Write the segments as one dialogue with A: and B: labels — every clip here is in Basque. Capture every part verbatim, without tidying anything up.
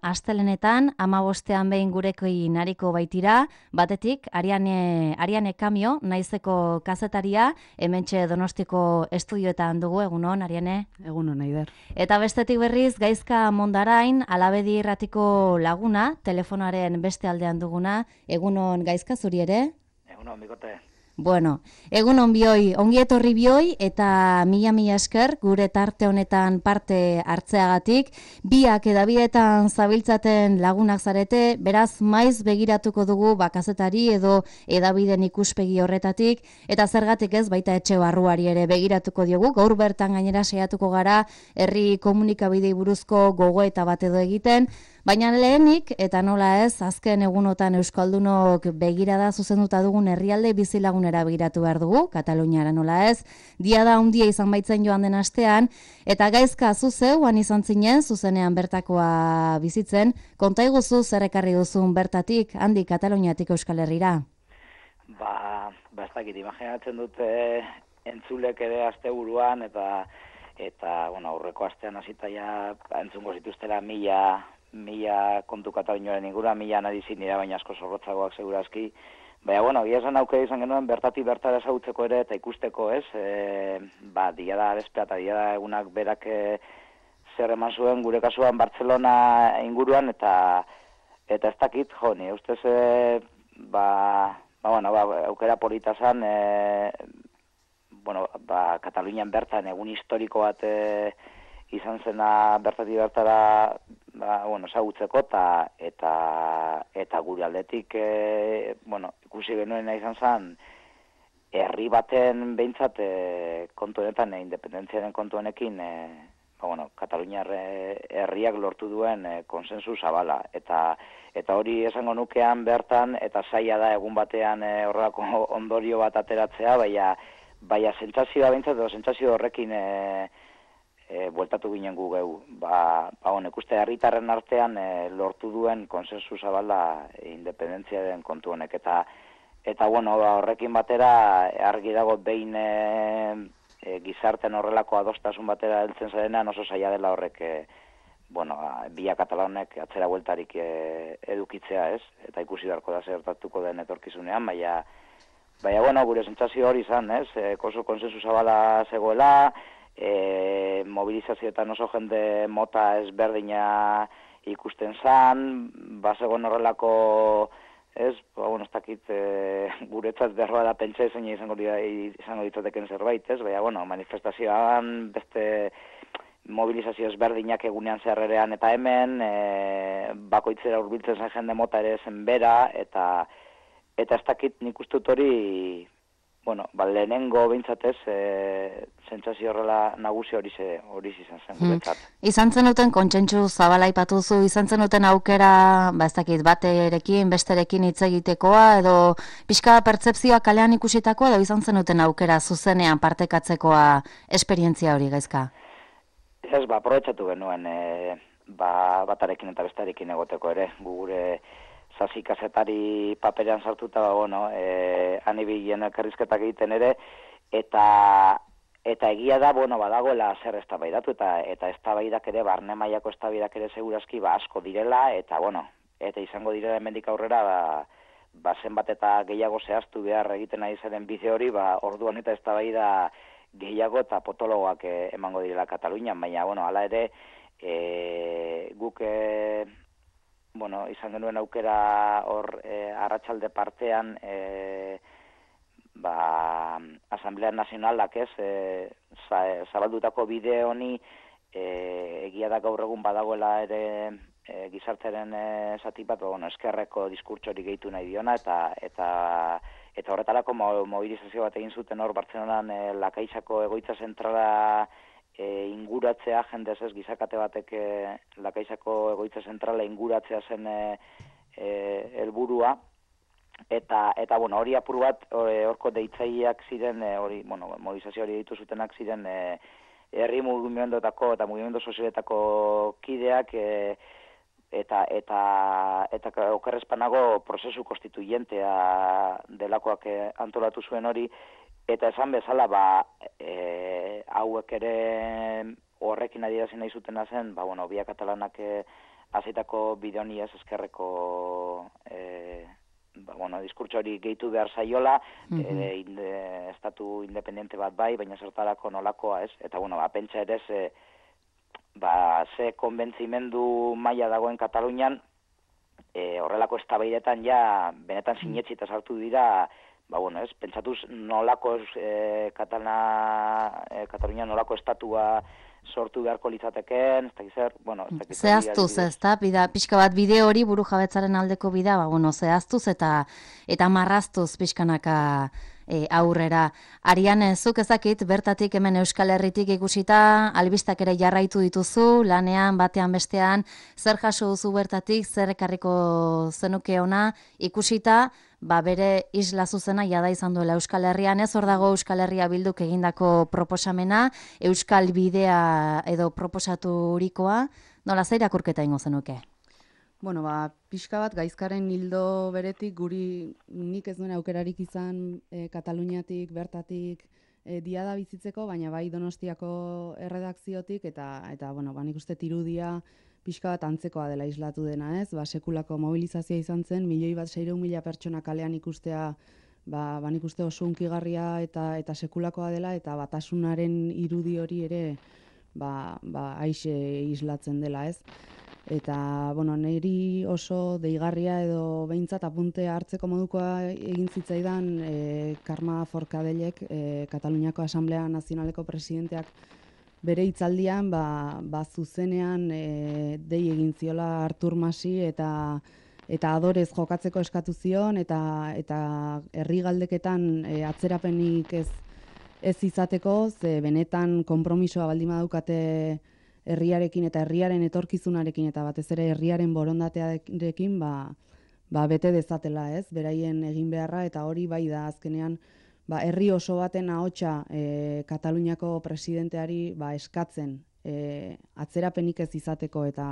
A: Astelenetan, amabostean behin gurekoin nariko baitira, batetik, Ariane, Ariane Kamio, naizeko kazetaria, hementxe Donostiko estudioetan dugu, egunon, Ariane?
B: Egunon, Aider.
A: Eta bestetik berriz, Gaizka Mondarain, Alabedi irratiko laguna, telefonaren beste aldean duguna, egunon Gaizka zuri ere?
C: Egunon, bikote.
A: Bueno, egunon bioi, ongi etorri bioi eta mila mila esker gure tarte honetan parte hartzeagatik, biak edabietan zabiltzaten lagunak zarete, beraz maiz begiratuko dugu bakazetari edo edabiden ikuspegi horretatik, eta zergatik ez baita etxe barruari ere begiratuko diogu, gaur bertan gainera saiatuko gara herri komunikabidei buruzko gogoeta bat edo egiten, baina lehenik, eta nola ez, azken egunotan Euskaldunok begirada zuzenduta dugun herrialde bizilagunera begiratu behar dugu, Kataluniara nola ez, diada handia izan baitzen joan den astean, eta Gaizka zuzeu, han izan zinen, zuzenean bertakoa bizitzen, konta iguzu zer ekarri duzun bertatik, handi Kataluniatik Euskal Herrira?
C: Ba, ba ez dakit, imaginatzen dute entzulek ere asteburuan, eta, eta bueno, aurreko astean hasita ja entzungo zituztela mila, mila kontu Kataluniaren ingura, mila nadi zinira, baina asko zorrotzagoak segurazki. Baina, bueno, gia esan aukera izan genuen bertatik bertara ezagutzeko ere eta ikusteko, ez? E, ba, diada bezpea eta diada egunak berak e, zer eman zuen gure kasuan Bartzelona inguruan, eta eta ez dakit, jo, ni ustez, e, ba, ba, bueno, ba, aukera polita zan, e, bueno, ba, Katalunian bertan egun historiko bat e, izan zena bertatik bertara, ba, bueno, ezagutzeko, eta, eta, eta gure aldetik, e, bueno, ikusi genuena izan zen, herri baten behintzat e, kontu honetan, e, independentziaren kontu honekin, e, ba, bueno, Kataluniar herriak lortu duen e, konsensu zabala, eta eta hori esango nukean bertan, eta zaila da egun batean e, horrelako ondorio bat ateratzea, baina, baina sentsazioa behintzat, edo sentsazio horrekin e, E, bueltatu ginen gu geu. Ba, ba honek uste herritarren artean e, lortu duen konsensu zabala e, independentziaren kontu honek. Eta, eta bueno, ba, horrekin batera argi dago behin e, e, gizarten horrelako adostasun batera heltzen zarenean oso zaila dela horrek e, bueno, bia katalanek atzera bueltarik e, edukitzea, ez? Eta ikusi beharko da zertatuko den etorkizunean, baina, baina bueno, gure sentsazio hori izan, ez? E, oso konsensu zabala zegoela, E, mobilizazioetan oso jende mota ezberdina ikusten zan, bazegoen horrelako, ez, ba, bueno, ez dakit e, guretzat berroa da pentsa izan izango, izango ditzateken zerbait, ez, baina, bueno, manifestazioan, beste mobilizazio ezberdinak egunean zerrerean eta hemen, e, bakoitzera hurbiltzen zen jende mota ere zen bera, eta, eta ez dakit nik ustut hori, bueno, ba, lehenengo behintzatez, e, sentsazio horrela nagusi hori ze, hori izan zen guretzat.
A: Hmm. Izan zenuten kontsentsu zabala aipatuzu, izan zenuten aukera, ba ez dakit, baterekin, besterekin hitz egitekoa, edo pixka pertzepzioa kalean ikusitakoa, edo izan zenuten aukera zuzenean partekatzekoa esperientzia hori, Gaizka?
C: Ez, ba, aprobetxatu genuen, e, ba, batarekin eta bestarekin egoteko ere, gure zazi kazetari paperean sartuta, ba, bueno, e, anibilen elkarrizketak egiten ere, eta eta egia da, bueno, badagoela zer eztabaidatu, eta eta eztabaidak ere, barne mailako eztabaidak ere segurazki, ba, asko direla, eta, bueno, eta izango direla hemendik aurrera, ba, ba, zenbat eta gehiago zehaztu behar egiten ari zaren bide hori, ba, orduan eta eztabaida gehiago eta potologoak e, emango direla Katalunian, baina, bueno, hala ere, e, guk e, bueno, izan genuen aukera hor e, arratsalde partean e, ba, Asamblea Nazionalak ez e, zabaldutako bide honi e, egia da gaur egun badagoela ere e, gizarteren e, zati bat, bueno, eskerreko diskurtso hori gehitu nahi diona, eta eta eta horretarako mobilizazio bat egin zuten hor Bartzelonan e, Lakaixako egoitza zentrala E, inguratzea, jendez ez, gizakate batek e, Lakaixako egoitza zentrala inguratzea zen e, e, helburua, eta, eta bueno, hori apur bat, horko deitzaileak ziren, e, hori, bueno, mobilizazio hori ditu zutenak ziren, e, herri mugimenduetako eta mugimendu sozialetako kideak, e, eta, eta, eta okerrezpanago prozesu konstituyentea delakoak e, antolatu zuen hori. Eta esan bezala, ba, e, hauek ere horrekin adierazi nahi zutena zen, ba, bueno, bia katalanak e, azitako bide honi ez eskerreko e, ba, bueno, diskurtso hori gehitu behar zaiola, mm -hmm. e, inde, estatu independiente bat bai, baina zertarako nolakoa ez, eta bueno, ba, pentsa ere ze, ba, ze konbentzimendu maila dagoen Katalunian, e, horrelako eztabaidetan ja benetan sinetxita sartu dira, ba, bueno, ez, pentsatuz nolako e, Katalana, e, Katalunia nolako estatua sortu beharko litzateken, ez dakiz zer, bueno, ez dakiz zer.
A: Zehaztuz, ez da, bida, pixka bat bide hori buru jabetzaren aldeko bida, ba, bueno, zehaztuz eta eta marraztuz pixkanaka e, aurrera. Ariane, zuk ezakit, bertatik hemen Euskal Herritik ikusita, albistak ere jarraitu dituzu, lanean, batean bestean, zer jaso duzu bertatik, zer ekarriko zenuke ona, ikusita, ba bere isla zuzena jada izan duela Euskal Herrian, ez hor dago Euskal Herria Bilduk egindako proposamena, Euskal Bidea edo proposaturikoa, nola zer irakurketa ingo zenuke?
B: Bueno, ba, pixka bat gaizkaren hildo beretik guri nik ez duen aukerarik izan e, Kataluniatik, bertatik e, diada bizitzeko, baina bai Donostiako erredakziotik eta eta bueno, ba nik uste irudia pixka bat antzekoa dela islatu dena, ez? Ba, sekulako mobilizazioa izan zen, milioi bat seiehun mila pertsona kalean ikustea, ba, ba nik uste oso hunkigarria eta eta sekulakoa dela, eta batasunaren irudi hori ere ba, ba aixe islatzen dela, ez? Eta, bueno, niri oso deigarria edo behintzat apunte hartzeko modukoa egin zitzaidan e, Karma Forcadelek, e, Kataluniako Asamblea Nazionaleko presidenteak bere hitzaldian ba, ba zuzenean e, dei egin ziola Artur Masi eta eta adorez jokatzeko eskatu zion eta eta herri galdeketan e, atzerapenik ez ez izateko, ze benetan konpromisoa baldin badaukate herriarekin eta herriaren etorkizunarekin eta batez ere herriaren borondatearekin ba, ba bete dezatela, ez? Beraien egin beharra, eta hori bai da azkenean ba herri oso baten ahotsa e, Kataluniako presidenteari ba eskatzen e, atzerapenik ez izateko eta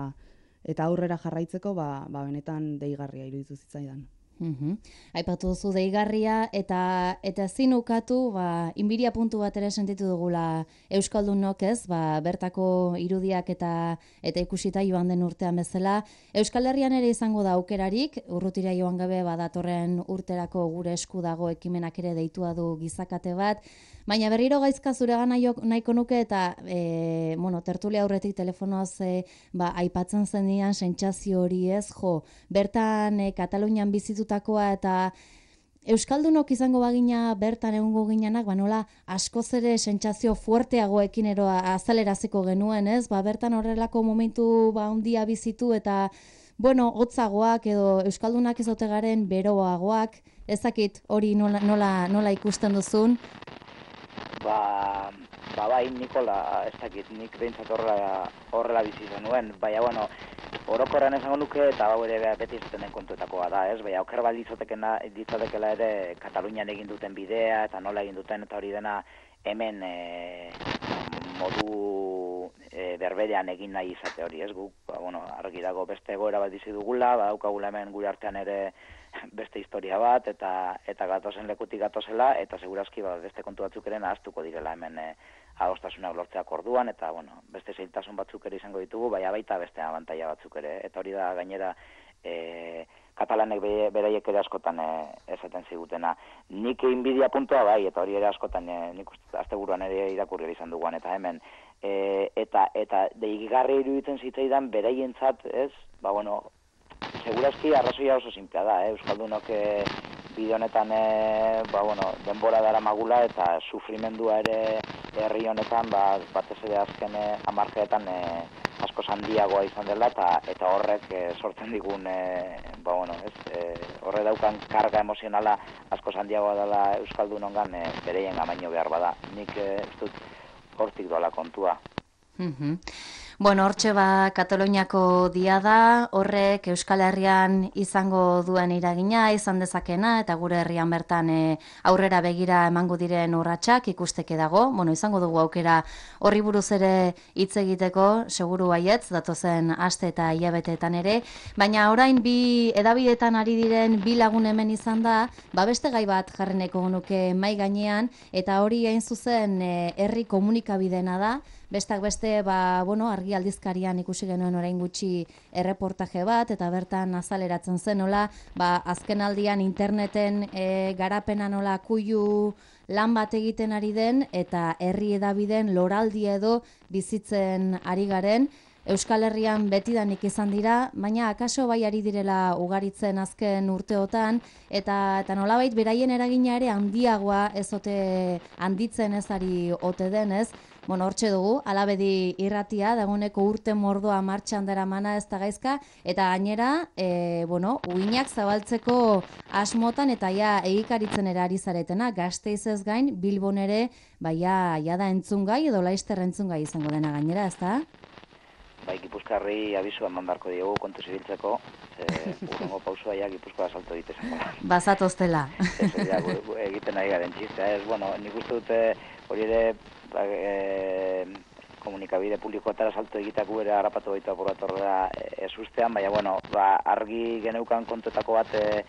B: eta aurrera jarraitzeko ba, ba benetan deigarria iruditu zitzaidan.
A: Uhum. Aipatu duzu deigarria eta eta ezin ukatu ba inbiria puntu bat ere sentitu dugula euskaldunok, ez? Ba bertako irudiak eta eta ikusita joan den urtean bezala, Euskal Herrian ere izango da aukerarik, urrutira joan gabe badatorren urterako gure esku dago ekimenak ere deitua du gizakate bat, baina berriro gaizka zuregana nahiko nuke eta e, bueno, tertulia aurretik telefonoz e, ba aipatzen zenian sentsazio hori, ez? Jo, bertan e, Katalunian bizitu takoa eta euskaldunok izango bagina bertan egongo ginenak, ba nola askoz ere sentsazio fuerteagoekin ero azaleraziko genuen, ez? Ba bertan horrelako momentu ba handia bizitu eta bueno, hotzagoak edo euskaldunak ez ote garen beroagoak, ezakit hori nola, nola, nola ikusten duzun?
C: Ba, ba bai, Nikola, ez dakit, nik behintzat horrela, horrela bizi zenuen, baina, bueno, orokorran esango nuke, eta hau ere beti izaten den kontuetakoa da, ez? Baina, oker bat ditzatekela ere Katalunian egin duten bidea, eta nola egin duten, eta hori dena hemen e, modu e, berberean egin nahi izate hori, ez? Guk, ba, bueno, argi dago beste egoera bat bizi dugula, ba, daukagula hemen gure artean ere beste historia bat, eta eta gatozen lekutik gatozela, eta segurazki ba, beste kontu batzuk ere nahaztuko direla hemen e, adostasunak lortzeak orduan, eta bueno, beste zailtasun batzuk ere izango ditugu, baina baita beste abantaila batzuk ere, eta hori da gainera e, katalanek be, beraiek ere askotan e, esaten zigutena. Nik inbidia puntua bai, eta hori ere askotan e, nik uste asteburuan ere irakurri izan duguan, eta hemen e, eta eta deigarri iruditzen zitzaidan beraientzat, ez? Ba bueno, segurazki arrazoia oso sinplea da, eh? Euskaldunok e, bide honetan e, ba, bueno, denbora dara magula eta sufrimendua ere herri honetan ba, batez ere azken e, hamarkadetan e, asko handiagoa izan dela eta eta horrek e, sortzen digun e, ba, bueno, ez, e, horre daukan karga emozionala asko handiagoa dela euskaldunongan e, bereien amaino behar bada. Nik e, ez dut hortik doala kontua.
A: Mhm. Bueno, hortxe ba Kataluniako diada, horrek Euskal Herrian izango duen iragina, izan dezakena, eta gure herrian bertan e, aurrera begira emango diren urratsak ikusteke dago. Bueno, izango dugu aukera horri buruz ere hitz egiteko, seguru baietz, datozen aste eta hilabeteetan ere, baina orain bi edabidetan ari diren bi lagun hemen izan da, ba beste gai bat jarreneko nuke mai gainean, eta hori hain zuzen e, herri komunikabidena da, Bestak beste, ba, bueno, argi aldizkarian ikusi genuen orain gutxi erreportaje bat, eta bertan azaleratzen zen nola, ba, azken aldian interneten e, garapena nola kuiu lan bat egiten ari den, eta herri edabideen loraldi edo bizitzen ari garen, Euskal Herrian betidanik izan dira, baina akaso bai ari direla ugaritzen azken urteotan, eta, eta nolabait beraien eragina ere handiagoa ez ote handitzen ez ari ote denez. Bueno, hortxe dugu, Alabedi irratia, dagoeneko urte mordoa martxan dara mana ez da gaizka, eta gainera, e, bueno, uinak zabaltzeko asmotan eta ja egikaritzen erari zaretena, Gasteizez gain, Bilbon ere, baia, ja da entzungai edo Laister entzungai izango dena gainera, ez da?
C: Bai, Gipuzkoarri abisu eman beharko diogu kontu zibiltzeko, urrengo pausua ja Gipuzkoa salto egitezen.
A: Bazatoztela.
C: Ez, ja, egiten ari garen txistea, ez, bueno, nik uste dute hori ere ba, e, komunikabide publikoetara salto egiteako ere harrapatu baitu apuratorra ez ustean, baina, bueno, ba, argi geneukan kontuetako bat e,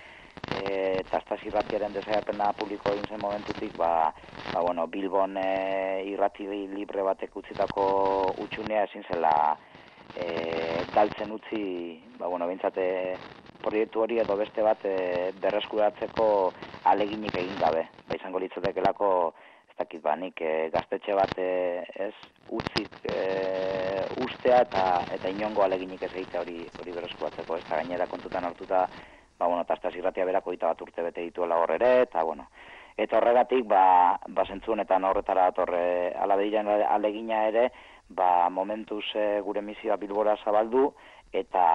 C: e, Tastaz irratiaren desaiapena publiko egin zen momentutik, ba, ba, bueno, Bilbon e, irrati libre batek utzitako utxunea ezin zela E, galtzen utzi, ba, bueno, bintzate proiektu hori edo beste bat e, berreskuratzeko aleginik egin gabe. Ba, izango litzatekelako, ez dakit ba, nik e, gaztetxe bat e, ez utzik e, ustea eta eta inongo aleginik ez egitea hori hori berreskuratzeko. Ez da gainera kontutan hartuta, ba, bueno, Tastaz irratia berak hogeita bat urte bete dituela hor ere, eta, bueno, eta horregatik, ba, ba zentzu honetan horretara atorre Alabediren alegina ere, ba, momentuz e, gure misioa Bilbora zabaldu, eta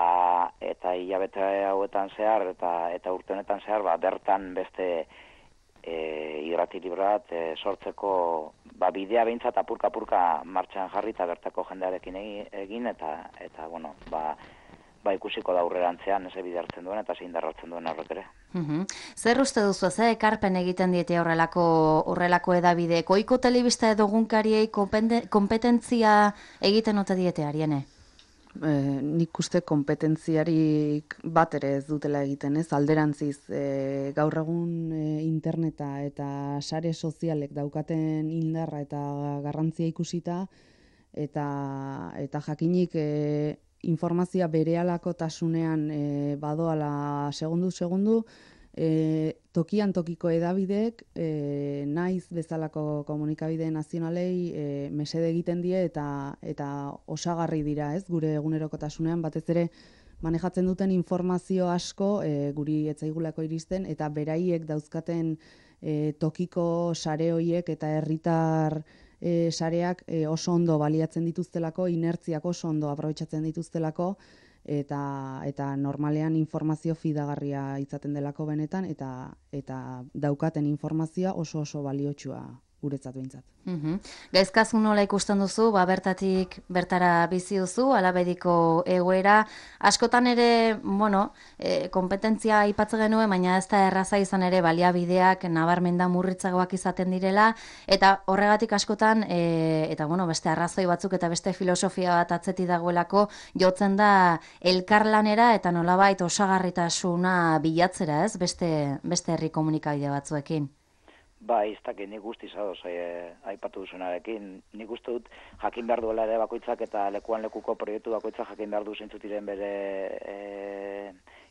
C: eta hilabete hauetan zehar, eta eta urte honetan zehar, ba, bertan beste e, irrati libre bat e, sortzeko ba, bidea behintzat apurka-apurka martxan jarri eta bertako jendearekin egin, eta, eta bueno, ba, ba ikusiko da aurrerantzean eze bide hartzen duen eta zein darratzen duen horrek ere.
A: Uhum. Zer uste duzu, ze ekarpen egiten diete horrelako horrelako edabidek? Ohiko telebista edo egunkariei konpetentzia egiten ote diete Ariene?
B: E, nik uste kompetentziarik bat ere ez dutela egiten, ez? Alderantziz, e, gaur egun e, interneta eta sare sozialek daukaten indarra eta garrantzia ikusita, eta, eta jakinik e, informazioa berehalako tasunean e, badoala segundu-segundu, e, tokian tokiko edabidek, e, naiz bezalako komunikabide nazionalei e, mesede egiten die eta eta osagarri dira, ez, gure egunerokotasunean, batez ere manejatzen duten informazio asko e, guri etzaigulako iristen, eta beraiek dauzkaten e, tokiko sare hoiek eta herritar E, sareak e, oso ondo baliatzen dituztelako, inertziak oso ondo aprobetxatzen dituztelako, eta eta normalean informazio fidagarria izaten delako benetan, eta eta daukaten informazioa oso oso baliotsua guretzat behintzat.
A: Uhum. Gaizkazu nola ikusten duzu, ba, bertatik bertara bizi duzu, Alabediko egoera. Askotan ere, bueno, e, kompetentzia aipatzen genuen, baina ez da erraza izan ere baliabideak nabarmenda murritzagoak izaten direla, eta horregatik askotan, e, eta bueno, beste arrazoi batzuk eta beste filosofia bat atzeti dagoelako, jotzen da elkarlanera eta nolabait osagarritasuna bilatzera, ez? Beste, beste herri komunikabide batzuekin.
C: Ba, iztak, nik guztiz adoz, e, aipatu duzunarekin. Nik uste dut jakin behar duela ere bakoitzak eta lekuan lekuko proiektu bakoitzak jakin behar du zeintzu diren bere e,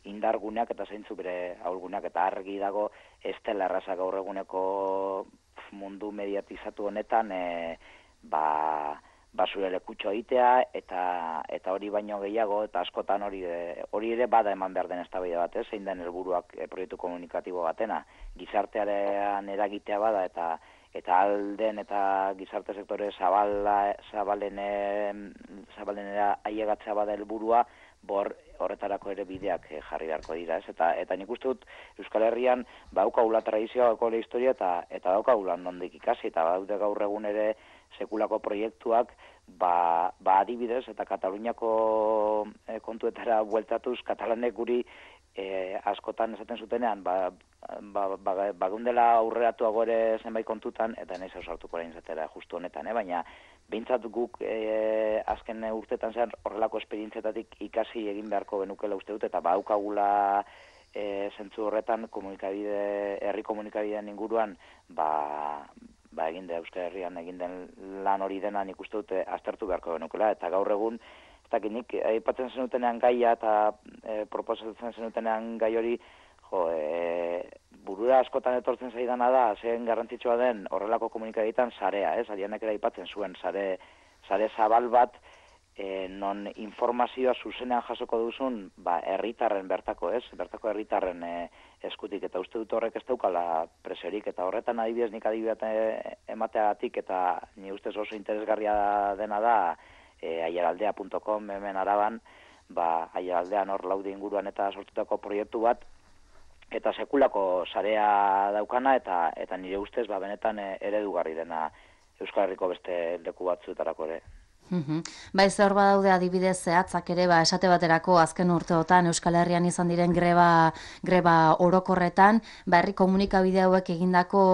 C: indarguneak eta zeintzu bere ahulguneak, eta argi dago ez dela erraza gaur eguneko mundu mediatizatu honetan e, ba, ba zure lekutxo egitea eta eta hori baino gehiago eta askotan hori hori ere bada eman behar den eztabaida bat, ez, zein den helburuak e, proiektu komunikatibo batena. Gizartearen eragitea bada eta eta alden eta gizarte sektore zabala zabalene zabalenera ailegatzea bada helburua, bor horretarako ere bideak jarri beharko dira, ez? Eta eta nik uste dut Euskal Herrian badaukagula tradizioa, badaukagula historia eta eta daukagula nondik ikasi, eta badaude gaur egun ere sekulako proiektuak, ba, ba adibidez eta Kataluniako e, kontuetara bueltatuz, katalanek guri e, askotan esaten zutenean, ba, ba, ba, bagundela aurreratuago ere zenbait kontutan, eta nahiz ausartuko orain zatera justu honetan, eh? Baina behintzat guk e, azken urtetan zen horrelako esperientzietatik ikasi egin beharko genukela uste dut, eta badaukagula e, zentzu horretan komunikabide, herri komunikabideen inguruan, ba, ba, egin da Euskal Herrian egin den lan hori dena nik uste dute aztertu beharko genukela, eta gaur egun, ez dakit nik aipatzen zenutenean gaia eta e, proposatzen zenutenean gai hori, jo, e, burura askotan etortzen zaidana da, zein garrantzitsua den horrelako komunikabideetan sarea, ez? Arianek ere aipatzen zuen sare, sare zabal bat, e, non informazioa zuzenean jasoko duzun, ba, herritarren bertako, ez? Bertako herritarren e, eskutik, eta uste dut horrek ez daukala presiorik, eta horretan adibidez nik adibidez emateagatik, eta ni ustez oso interesgarria dena da, e, aiaraldea punto com hemen Araban, ba, aiaraldean hor laude inguruan eta sortutako proiektu bat, eta sekulako sarea daukana, eta eta nire ustez ba, benetan e, eredugarri dena Euskal Herriko beste leku batzuetarako ere.
A: Uhum. Ba, ez hor badaude adibidez zehatzak ere, ba, esate baterako azken urteotan Euskal Herrian izan diren greba, greba orokorretan, ba, herri komunikabide hauek egindako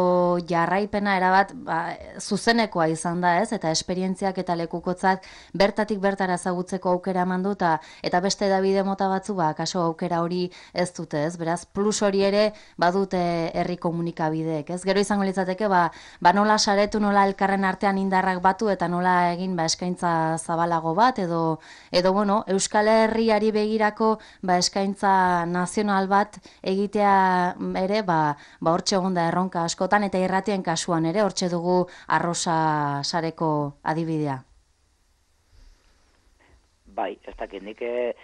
A: jarraipena erabat ba, zuzenekoa izan da, ez? Eta esperientziak eta lekukotzak bertatik bertara ezagutzeko aukera eman du, eta, eta beste edabide mota batzu, ba, kaso aukera hori ez dute, ez? Beraz, plus hori ere badute herri komunikabideek, ez? Gero izango litzateke, ba, ba nola saretu, nola elkarren artean indarrak batu, eta nola egin ba, eskaintza zabalago bat, edo, edo bueno, Euskal Herriari begirako ba, eskaintza nazional bat egitea ere, ba, ba hortxe egon da erronka askotan, eta irratien kasuan ere, hortxe dugu Arrosa sareko adibidea.
C: Bai, ez dakit, nik e,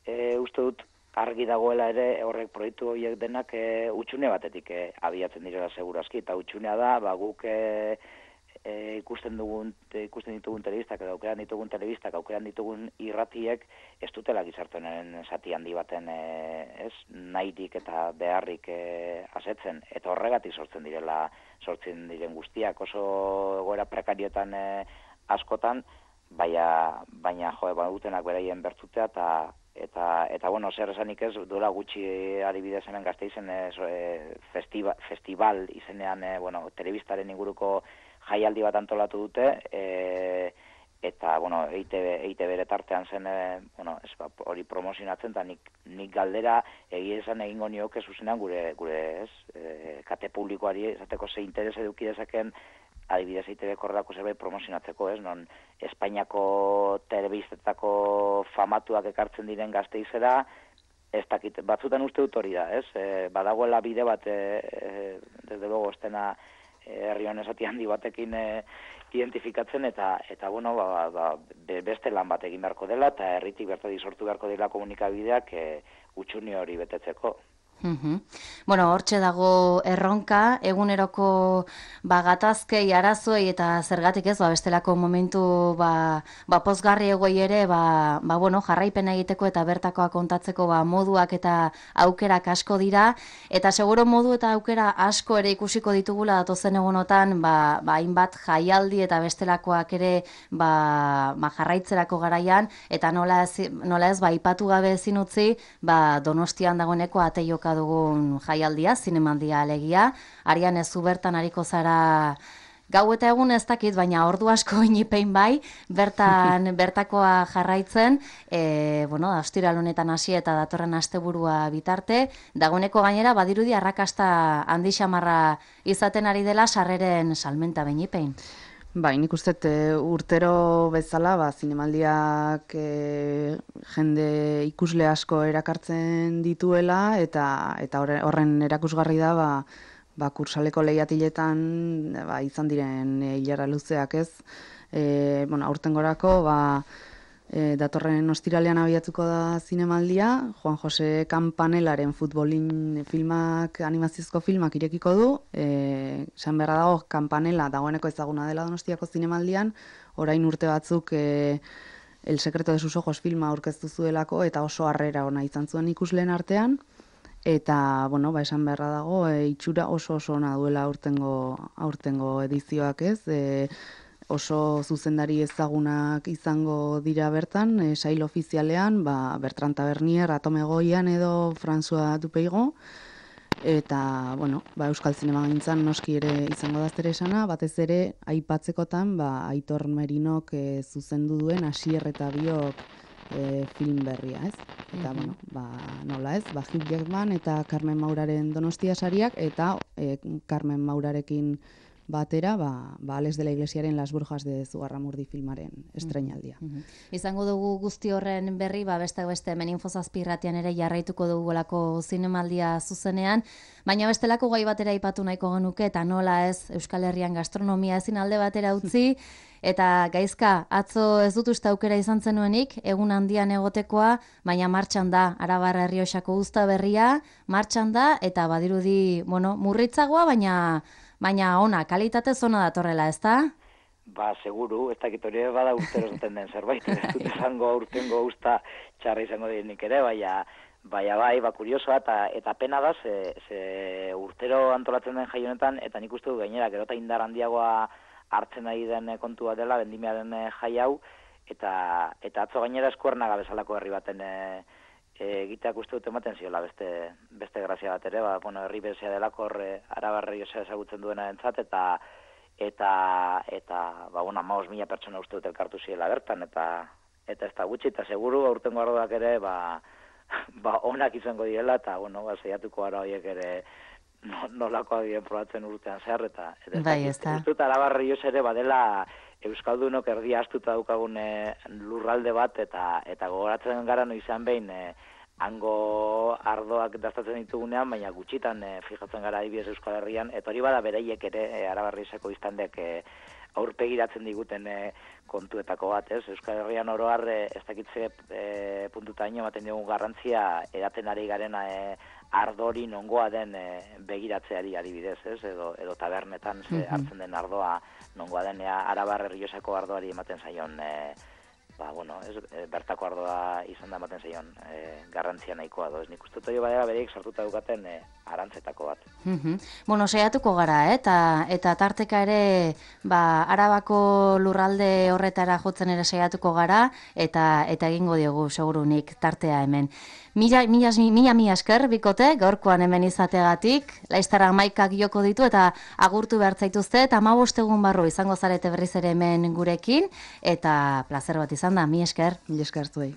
C: e, uste dut argi dagoela ere horrek proiektu horiek denak e, utxune batetik e, abiatzen direla segurazki, eta utxunea da, ba, guk e, E, ikusten dugun ikusten ditugun telebistak edo aukeran ditugun telebistak aukeran ditugun irratiek ez dutela gizartenen zati handi baten e, ez nahirik eta beharrik e, asetzen, eta horregatik sortzen direla sortzen diren guztiak oso egoera prekarioetan e, askotan, baina baina jo badutenak beraien bertutea eta eta eta bueno, zer esanik ez duela gutxi adibidez hemen Gasteizen e, festival, festival izenean e, bueno, telebistaren inguruko jaialdi bat antolatu dute, e, eta, bueno, E I T B, E I T B ere tartean zen, e, bueno, ez, ba, hori promozionatzen, eta nik, nik galdera egia esan egingo nioke zuzenean gure, gure ez, e, kate publikoari, esateko ze interes eduki dezaken, adibidez E I T B korrelako zerbait promozionatzeko, ez, non Espainiako telebistetako famatuak ekartzen diren Gasteizera, ez dakit, batzutan uste dut hori da, ez, e, badagoela bide bat, e, e, desde luego, ez dena, herri honen zati handi batekin e, identifikatzen, eta, eta bueno, ba, ba, beste lan bat egin beharko dela, eta herritik bertatik sortu beharko dela komunikabideak e, utxuni hori betetzeko.
A: Uhum. Bueno, hortxe dago erronka, eguneroko ba, gatazkei, arazoei eta zergatik ez, ba, bestelako momentu ba, ba, pozgarri egoi ere, ba, ba, bueno, jarraipena egiteko eta bertakoa kontatzeko ba, moduak eta aukerak asko dira, eta seguro modu eta aukera asko ere ikusiko ditugula datozen egunotan, ba, ba, hainbat jaialdi eta bestelakoak ere ba, ba, jarraitzerako garaian, eta nola ez, nola ez ba, ipatu gabe ezin utzi, ba, Donostian dagoeneko ate joka dugun jaialdia, zinemaldia alegia. Arian ez zu bertan ariko zara gau eta egun ez dakit, baina ordu asko inipein bai, bertan bertakoa jarraitzen, e, bueno, ostiral honetan hasi eta datorren asteburua bitarte, dagoeneko gainera badirudi arrakasta handi xamarra izaten ari dela sarreren salmenta benipein.
B: Bai, nik uste urtero bezala, ba, zinemaldiak e, jende ikusle asko erakartzen dituela, eta eta horren erakusgarri da, ba, ba, kursaleko lehiatiletan ba, izan diren e, hilara luzeak ez. E, bueno, aurtengorako, ba, e, datorren ostiralean abiatuko da zinemaldia, Juan Jose Campanelaren futbolin filmak, animaziozko filmak irekiko du, e, esan beharra dago Campanella dagoeneko ezaguna dela Donostiako zinemaldian, orain urte batzuk e, El secreto de sus ojos filma aurkeztu zuelako, eta oso harrera ona izan zuen ikusleen artean, eta, bueno, ba, esan beharra dago, e, itxura oso oso ona duela aurtengo, aurtengo edizioak ez, e, oso zuzendari ezagunak izango dira bertan, e, sail ofizialean, ba, Bertrand Tavernier, Atome Goian edo François Dupeigo, eta, bueno, ba, Euskal Zinemagintzan noski ere izango da zer esana, batez ere aipatzekotan, ba, Aitor Merinok e, zuzendu duen Asier eta Biok e, film berria, ez? Eta, mm-hmm. bueno, ba, nola ez, ba, Hugh Jackman eta Carmen Mauraren Donostia sariak, eta e, Carmen Maurarekin batera, ba, ba Alex de la Iglesiaren Las Brujas de Zugarramurdi filmaren estreinaldia.
A: Mm-hmm. Izango dugu guzti horren berri, ba beste beste hemen Infozazpi irratian ere jarraituko dugulako zinemaldia zuzenean, baina bestelako gai batera aipatu nahiko genuke, eta nola ez Euskal Herrian gastronomia ezin alde batera utzi, eta Gaizka, atzo ez dut uste aukera izan zenuenik, egun handian egotekoa, baina martxan da, Arabar Errioxako uzta berria, martxan da, eta badirudi, bueno, murritzagoa, baina baina ona, kalitate zona datorrela, ezta?
C: Ba, seguru, ez dakit hori bada urtero zaten den zerbait, ez dut izango urtengo usta txarra izango direnik ere, baina baina bai, ba, kuriosoa, eta, eta pena da, ze, ze urtero antolatzen den jai honetan, eta nik uste du gainera, gero eta indar handiagoa hartzen ari den kontua dela, vendimiaren jai hau, eta, eta atzo gainera Eskuernaga bezalako herri baten e, egiteak uste dut ematen ziola beste, beste grazia bat ere, ba, bueno, herri bezea delako horre Arabarri osa ezagutzen duena entzat, eta eta, eta ba, bueno, hamabost mila pertsona uste dut elkartu ziela bertan, eta eta ez da gutxi, eta seguru aurtengo ardoak ere, ba, ba, onak izango direla, eta, bueno, ba, zeiatuko ara horiek ere no, nolako adien probatzen urtean zehar, eta, eta
A: bai, ez da.
C: Uste dut Arabarri osa ere badela Euskaldunok erdia astuta daukagun lurralde bat, eta eta gogoratzen gara no izan behin e, hango ardoak dastatzen ditugunean, baina gutxitan e, fijatzen gara adibidez Euskal Herrian, eta hori bada beraiek ere e, Arabarrizeko iztandek e, aurpegiratzen diguten e, kontuetako bat, ez? Euskal Herrian oro har e, ez dakitze e, puntutaino ematen dugu garrantzia edaten ari garen e, ardori nongoa den e, begiratzeari adibidez, ez? Edo, edo tabernetan ze, hartzen den ardoa nongoa den Arabar Errioxako ardoari ematen zaion e, ba, bueno, ez, e, bertako ardoa izan da ematen zaion e, garrantzia nahikoa do. Ez nik uste dut badera bereik sartuta dukaten e, arantzetako bat.
A: Mm-hmm. Bueno, saiatuko gara, eh? eta, eta tarteka ere ba, Arabako lurralde horretara jotzen ere saiatuko gara, eta eta egingo diogu segurunik tartea hemen. Mila, mila, mila, mila esker, bikote, gaurkoan hemen izategatik, laiztara maikak joko ditu eta agurtu behar zaituzte, eta hamabost egun barru izango zarete berriz ere hemen gurekin, eta plazer bat izan da, mi esker.
B: Mi esker zuei.